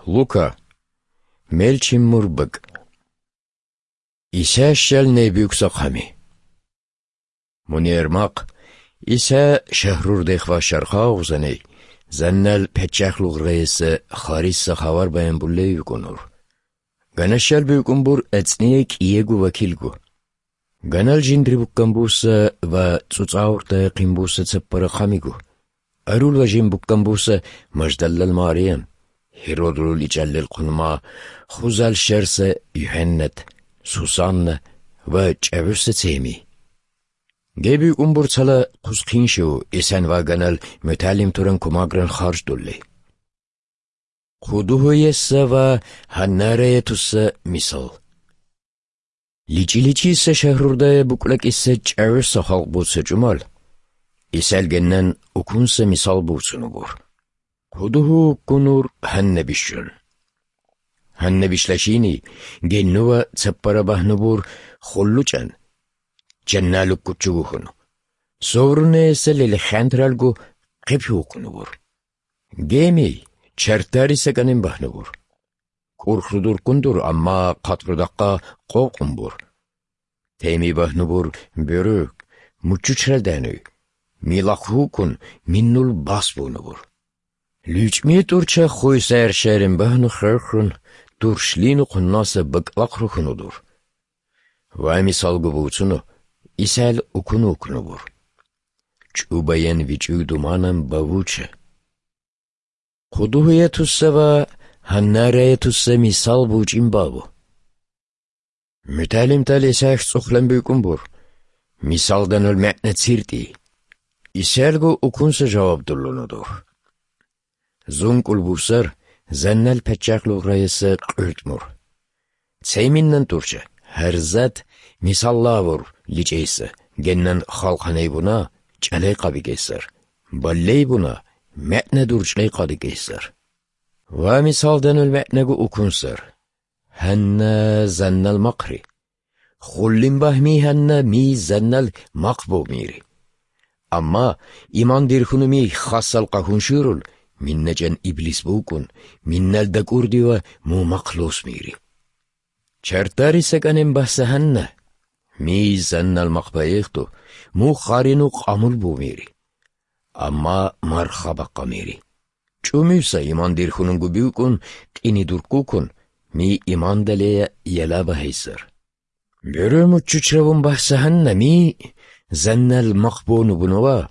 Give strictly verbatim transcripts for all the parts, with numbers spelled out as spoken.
Лука. Мелчиммур бакӀ. Иса щал небюкса хъами. Мунер махъ, Иса шагьрурдехъ ва шарха гъузаней, заннал паччахлугърайса хариса хавар баян буллей вукӀунур. Ганашал букӀун бур эцӀние кӀиего вакилго. Ганал жиндри буккан буса ва цӀуцӀауртаяхъин буса цаппара хъамиго. Арул ва жин буккан буса Маждаллал Мариян, Гьеродул ичӀалел хъулма, хузал щарса ЮхӀеннат, Сусанна ва чӀагӀуса цеми. Геб букӀун бур цала хъусхъиншав Исан ваганал муталим туран кумагран харждулли. Худугьуесса ва гьаннараятуса мисал. ЛичӀи-личиса шагьрурдая букӀлакӀиса чӀагӀуса халкъ буца чӀумал, Исал геннан укунса мисал буцунубур. Худугьу вуккунур гьанна бищун. Гьанна бишлашини геннува цаппара багьнубур хуллучӀан, жанналуккуччугухун. Соврунеяса лелехантралгу хъипи вуккунубур. Геми чартариса кӀанин багьнубур. КӀурхрудурккундур, амма хъатӀрудахъа къокъумбур. Теми багьнубур бюрюк, муччучралдануй, милахъ вукун миннул бас бунубур. ЛучӀми тӀурча хуйсаяр шерин багьну херхун, туршлину хъуннаса бакӀлахъ рухьунудур. Ва мисалго буцуну, Исал укун вукнубур. ЧӀубаян вичӀуй думанан бавуча. Худугьуятуса ва гьаннараятуса мисал бучӀин бабу. Муталимтал Исаях цӀухълан букӀун бур, мисалданул мегӀна циртӀи. Исалго укунса жаваб дуллуну дур. ЗункӀул бусар заннал паччахлугъраяса къуьртӀмур. Цейминнан тӀурча, гьарзат мисаллавур личӀейса, геннан халхъанай буна, чӀалай къабикейсар, баллей буна, мегӀна дурчӀлай къадикейсар. Ва мисалданул мегӀнаго укунсар. Гьанна заннал махъри. Хуллин багьми гьанна ми заннал махъ бо мири. Амма иман дирхьуну ми хасал къагьун щурул, минначӀан иблис букӀун, миннал дакӀурдива му махълус мири. Чартариса кӀанен бахса гьанна, ми заннал махъ баехту, му харину къамул бу мири. Амма марха бахъа мири. ЧӀумивса иман дирхьунунго букӀун, къини дурккукун, ми имандалея яла багьейсар. Бюрумуччучравун бахса гьанна ми, заннал махъ бону бунава,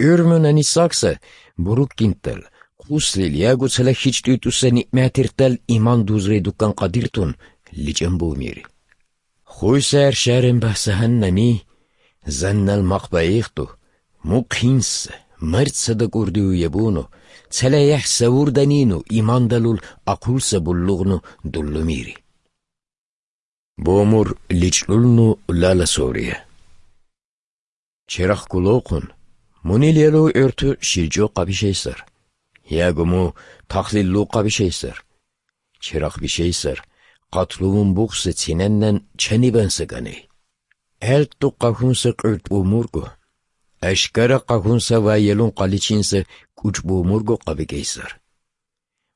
гӀурмуна нисакса, буруккинтал, хъуслил яго цалахьичӀ тӀутӀуса ниъматиртал иман дузрей дуккан къадиртун личӀан бу мири. Хуйсар шарен бахса гьанна ми, заннал махъ баихту, мухъинс, марцада кӀурдиу ябуну, цалаяхӀ савурданину имандалул ахъулса буллугъну дуллумири. Бомур личӀлулну лала сория. Черахъ гулохъун, мунил ялу гӀорту шилчӀо къабишейсар, яго му тахлил лу къабишейсар. Черахъ бишейсар, къатлумун бухса цинаннан чанибан сакӀаней. ГӀелтӀу къагьунса къуьртӀ бумурго, ашкара къагьунса ва елун къаличинса кӀучӀ бумурго къабикейсар.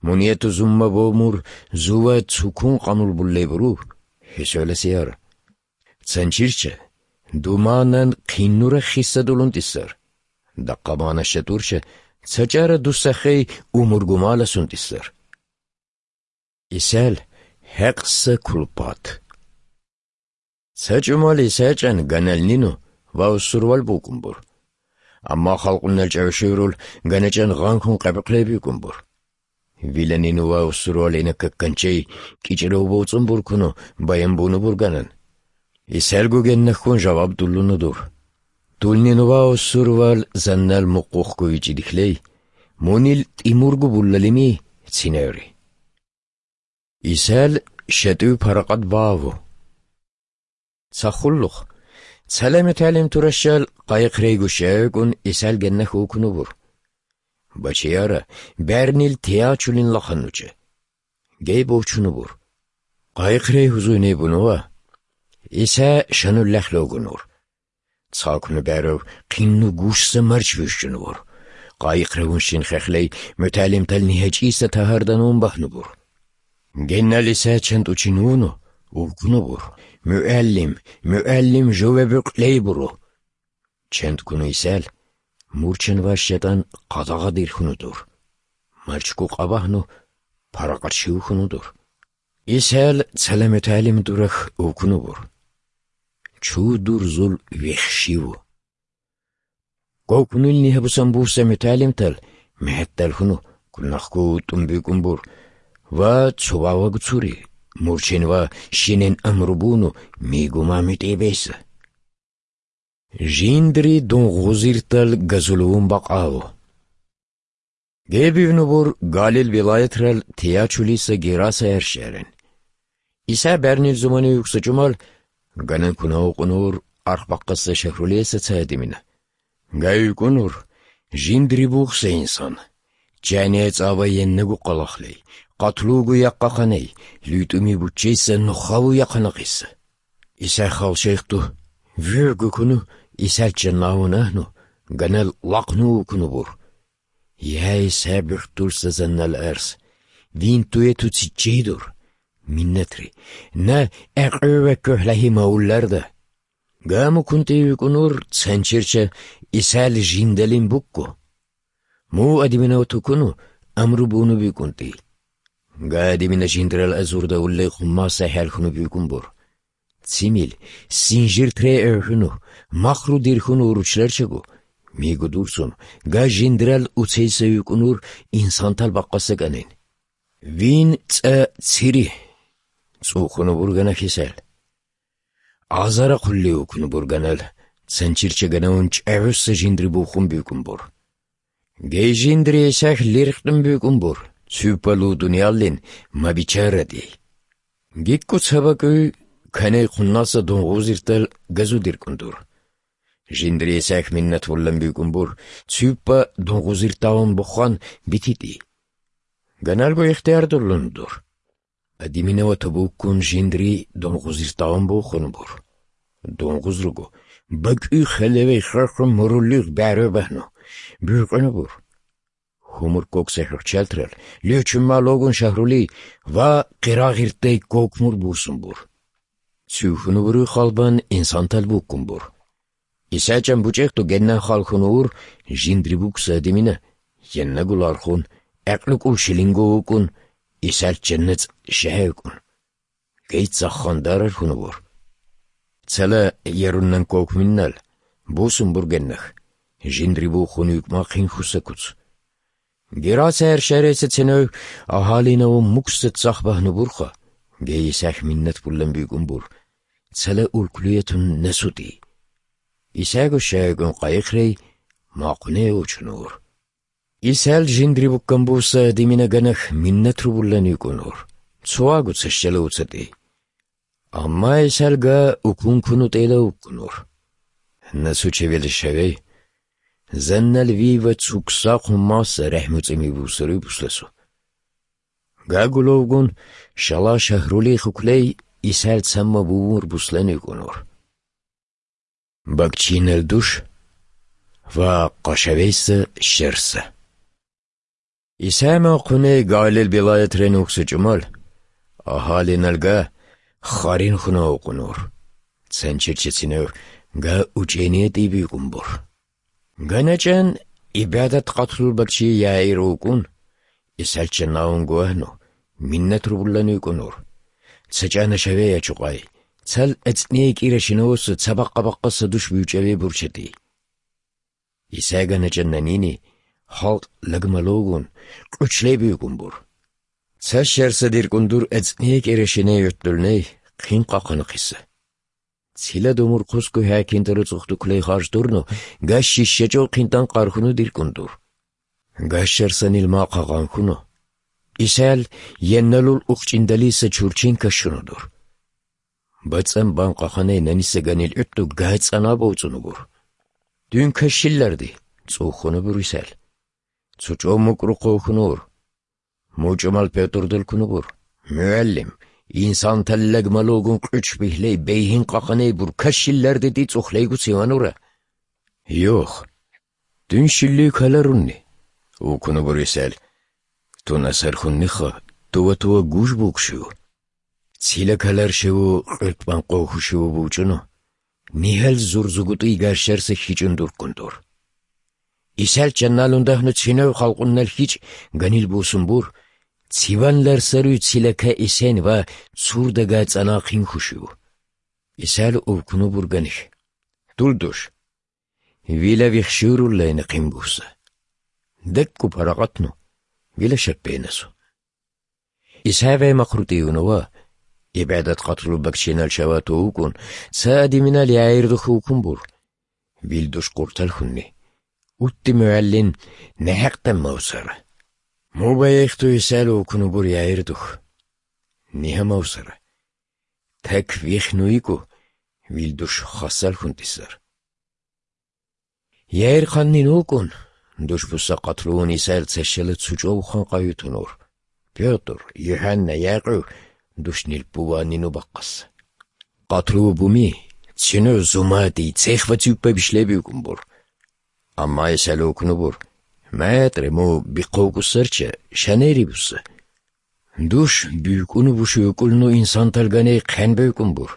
Мунету зумма бомур зува цукун къамул буллеб ру, гьесуяласияр. Цанчирча, думанан хъиннура хиссадулун тӀисар. Дакъа мана шатурча, цачара дусахъей умургумала сунтӀисар. Исал хӀекъса кулпат. Ца чӀумал Исачан ганалнину ва усурвал букӀун бур. Амма халкъунал чӀавшурул ганачӀан гъанхун къабихълеб букӀун бур. Виланину ва усурвал инаккакканчей кӀичӀрав боцӀун буркуну баян буну бурганан. Исалго геннахьун жаваб дуллуну дур. Дулнину ва усурвал заннал мукъухъго вичӀидихьлей, мунил тӀимурго буллалими циневри. Исал шатӀив паракъат баву. Цахуллух, цалами талим туращал къайихърейго щайгун Исал геннахь вукунубур. Бачияра, бярнил тиячулин лаханнуча. Гей бовчунубур. Къайихърей гьузуйней бунува. Иса шануллахь логунур. Цалкну бярав хъинну гушса марч вищунвур. Къайихъ рагьунщин хехлей муталимтал нигьачӀиса тагьарданун бахнубур. Генал Иса чантӀу чи вуно, вукуна бур: «МугӀалим, мугӀалим, жове букълей буро!» ЧантӀ ккуна Исал, мурчан ва шайтӀан къадагъа дирхьуна дур. Марчго къабагьну, паракъат щивхьуна дур. Исал цала мутагӀалим дурахь вукуна бур: «Чу дур зул вехь щиву?» Кокунилни гьабусан буса мутагӀалимтал мегьатталхуну, кунахго вутӀун бикӀун бур ва цо ваваг цури, мурчен ва щенен амру буну мигу мамитӀебейса. Жиндри дунгъузиртал газулевун бакъало. Гебивнубур Галил вилаятрал Тиячулиса Гераса гьарщарин. Иса бярнил зуманив юкса чӀумал, ганан кунавукъунур архбахъаса шагьрулияса цайадимина. Гайикъунур, жиндри бухса инсан. Чайне цӀава еннагу къалахлей, къатлугу якъахъаней, лютӀуми буччейса нухаву яхъанахъиса. Иса халшайхту, виргу куну, Исача навун агьну, ганал лахъну вукуну бур. Я Иса бихтулса заннал арс, винтуе туциччейдур, миннатри, на экъуе веккохӀ лагьи мавулларда. Гаму кунтӀи викӀунур цанчерча Исал жиндалин букку. Му адиминав тукуну амру буну бикӀунтӀи. Га адимина жиндрал азурда уллей хуммаса хӀалхьунуб бикӀун бур. Цимил, синжир тре эвхьуну, махру дирхьуну уручларчаго, мигу дурсун, га жиндрал уцейса викӀунур инсантал бакъаса кӀанин. Вин цӀа цири, цӀухуну бургана хисал. Азарахъулли вукуну бурганал, цанчирчаганавун чӀагӀуса жиндри бухун бикӀун бур. Гей жиндри эсахь лиркьун бикӀун бур, цуьпалу дунияллин мабичарадей. Гикку цабакӀуй каней хъуннаса дунгъузиртал газудиркӀун дур. Жиндри эсахь миннат вуллан бикӀун бур, цуьпа дунгъузирталун бухъан бититӀи. Ганалго ихтияр дурлун дур. Адиминава табуккун жиндри дунгъузирталун бухун бур. Дунгъуз руго, бакӀуй хелевей хахун муруллигъ бяру багьну, биркъуна бур. Хумур кокса хӀухьчалтрал, лечун малогун шагьрули ва къирагъиртей кокмур бусун бур. Цуьхьуну буруй халбан инсантал буккун бур. Иса чӀан бучӀехъду генна халхун ур жиндри букса адимина, еннагу лархун, гӀекълу кӀулщилинго вукӀун, Исал ченнецӀ щегьевкӀун. Гей цаххандарар хьунубур. Цала яруннан кокминнал, бусун бургеннах, жиндри бухун юкӀмахъин хьусакуц. Гераса гьершаресецинав агьалинавун мукса цахбагьну бурха, гей Исахь миннат булан бикӀун бур, цала улкулиятун насутӀи. Исаго щайгун къайихрей, макъуне учунур. Исал жиндри буккан буса димина ганах миннат рубуллан юкӀунур, цоаго цащала уцатӀи. Амма Исал га укун куну тӀела уккунур. Насучевел шавей, заннал вива цуксахъун маса рехӀмуцӀими бусури бусласу. Гагуловгун шала шагьрулей хуклей Исал цамма бувур буслан юкӀунур. Бакчинал душ ва къашавейса щерса. Исай махъуней Галил вилаят ренухса чӀумал, агьалиналга харин хьунавукъунур, цанчерчецинав га учӀение тӀибикӀун бур. ГаначӀан ибадат къатулбакчи Яир вукӀун, Исалча наун гуагьну, миннат рубуллан викӀунур. Цачана шавея чукъай, цал эцӀней кӀирашинавуса цабакъа-бакъаса душ бучӀаве бурчатӀи. Исай ганачӀан нанини, халкъ лагмалогун, къучлей бигун бур. Ца щерса диркӀун дур эцӀней кӀирашиней гӀуттулней хъин къахъана хъиса. Цила думур хъусго хӀакинда руцӀухъ дуклей харж дурну, гащи щечӀо хъинтан къархуну диркӀун дур. Гащарсанил махъа гъанхуну. Исал енналул ухчӀиндалиса чурчен кашуну дур. БацӀан бан къаханай наниса ганил гӀутту гайцӀанаб уцӀуну бур. Дун кашилларди, цӀухуну бур Исал. Цо чӀо мукӀрухъ вухьунур. МучӀумал Пётр дулкунубур: «МугӀалим, инсан таллагмалугун къуч бихьлей бейгьин къахъанай бур кашилларде дицӀухълейгу цеванура». «Йох, дун щиллуй ккаларунни?» — вукунубур Исал. «Тун асархунниха, тува-тува гуж букӀ щив, цила калар щиву къиртӀбан къо хушиву бучӀуну, нигьал зурзугутӀи гарщарса хьичӀун дурккун дур. Исал чанналун дагьну цинав халкъуннал хьичӀ ганил бусун бур, циван ларсаруй цилака эсен ва цурда гацӀана хъин хушив. Исал увкуну бурганихь: «Дул душ, вила вихщуруллайна хъин буса. ДекӀкӀу парагъатну, вила шаппенасу». Исагьай махрутӀиюнава, ибгӀадат къатулуб бакчинал шавату вукӀун, ца адиминал яирдухъ вукун бур. Вил душ къурталхунни, утти мугӀаллин, нехӀекъдан мавсара. Мубайихту Исал вукуну бур яирдухъ. Нигьа мавсара. Так вихну йиго, вил душ хасалхун тӀисар. Яир хъаннин вукӀун, душ буса къатлуун Исаил цашала цучӀо ухъан къаютунур. Пётр, ЮхӀанна, Якъуб душнил пуланину бахъас. Къатлу буми, цину зумади, цех ва циппа бишлебигун бур. Амма Исаил вукну бур: «Метре, му бихъовгу сарча, шанери буса». Душ бивкӀуну бушуюкӀулну инсан талганей хъен бевкӀун бур.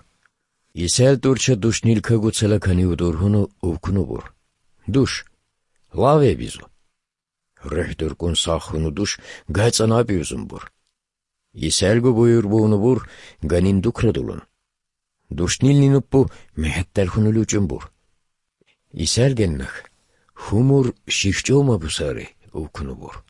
Исал тӀурча душнил кагуцала канив дургьуну увкуну бур. Душ, лаве бизу. РухӀ дуркӀун сахуну душ гацӀана абиузун бур. Исалго буюр бугьуну бур, ганин дукрадулун. Душнилни нуппу мехӀетталхуну лучӀун бур. Исал геннах, хумур щихчӀов мабусари увкуну бур.